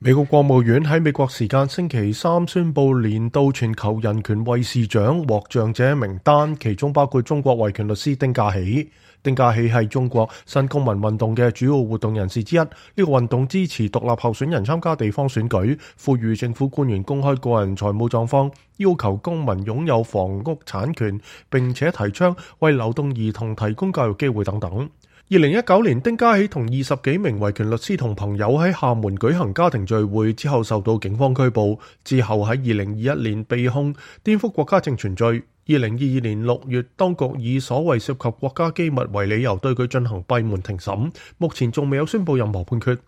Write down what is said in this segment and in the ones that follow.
美國國務院喺美國時間星期三宣布年度全球人權衛士獎獲獎者名單，其中包括中國維權律師丁家喜。丁家喜係中國新公民運動嘅主要活動人士之一。呢個運動支持獨立候選人參加地方選舉，呼籲政府官員公開個人財務狀況，要求公民擁有房屋產權，並且提倡為流動兒童提供教育機會等等。2019年，丁家喜同20幾名維權律師同朋友喺廈門舉行家庭聚會之後受到警方拘捕，之後喺2021年被控顛覆國家政權罪。2022年6月，當局以所謂涉及國家機密為理由對佢進行閉門庭審，目前仲未有宣布任何判決。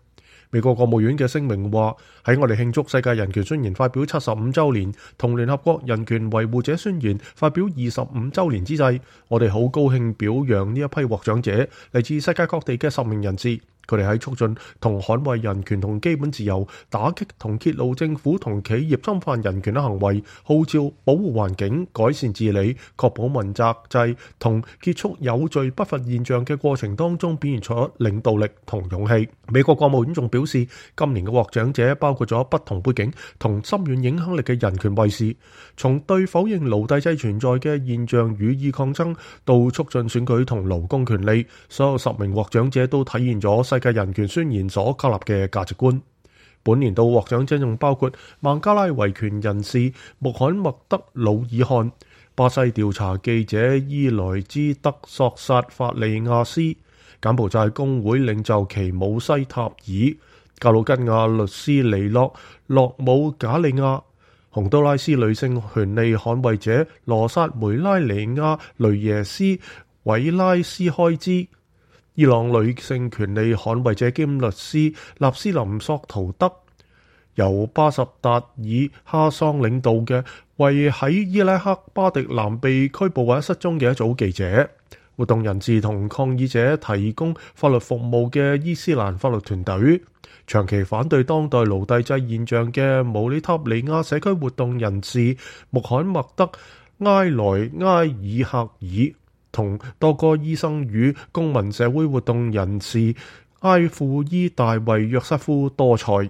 美國國務院嘅聲明話，喺我哋慶祝世界人權宣言發表75週年同聯合國人權維護者宣言發表25週年之際，我哋好高興表揚呢一批獲獎者，嚟自世界各地嘅10名人士。佢哋喺促進同捍衛人權同基本自由，打擊同揭露政府同企業侵犯人權嘅行為，號召保護環境、改善治理、確保問責制同結束有序不法現象嘅過程當中表現出領導力同勇氣。美國國務院仲表示，今年嘅獲獎者包括咗不同背景同深遠影響力嘅人權衛士，從對否認奴隸制存在嘅現象予以抗爭，到促進選舉同勞工權利，所有10名獲獎者都體現咗世界人權宣言所確立嘅價值觀。本年度獲獎者仲包括孟加拉維權人士穆罕默德·魯爾汗、巴西調查記者伊萊茲德索薩法利亞斯、柬埔寨工會領袖奇姆西塔爾、格魯吉亞律師尼諾·洛姆賈利亞、洪都拉斯女性權利捍衛者羅薩梅拉尼亞·雷耶斯·韋拉斯開茲、伊朗女性權利捍衛者兼律師納斯林索圖德，由巴什達爾哈桑領導嘅為喺伊拉克巴迪南被拘捕或者失蹤嘅一組記者、活動人士同抗議者提供法律服務嘅伊斯蘭法律團隊、長期反對當代奴隸制現象嘅姆里塔尼亞社區活動人士穆罕默德·埃萊埃爾克爾，同多個醫生與公民社會活動人士埃庫伊大衛約瑟夫多塞。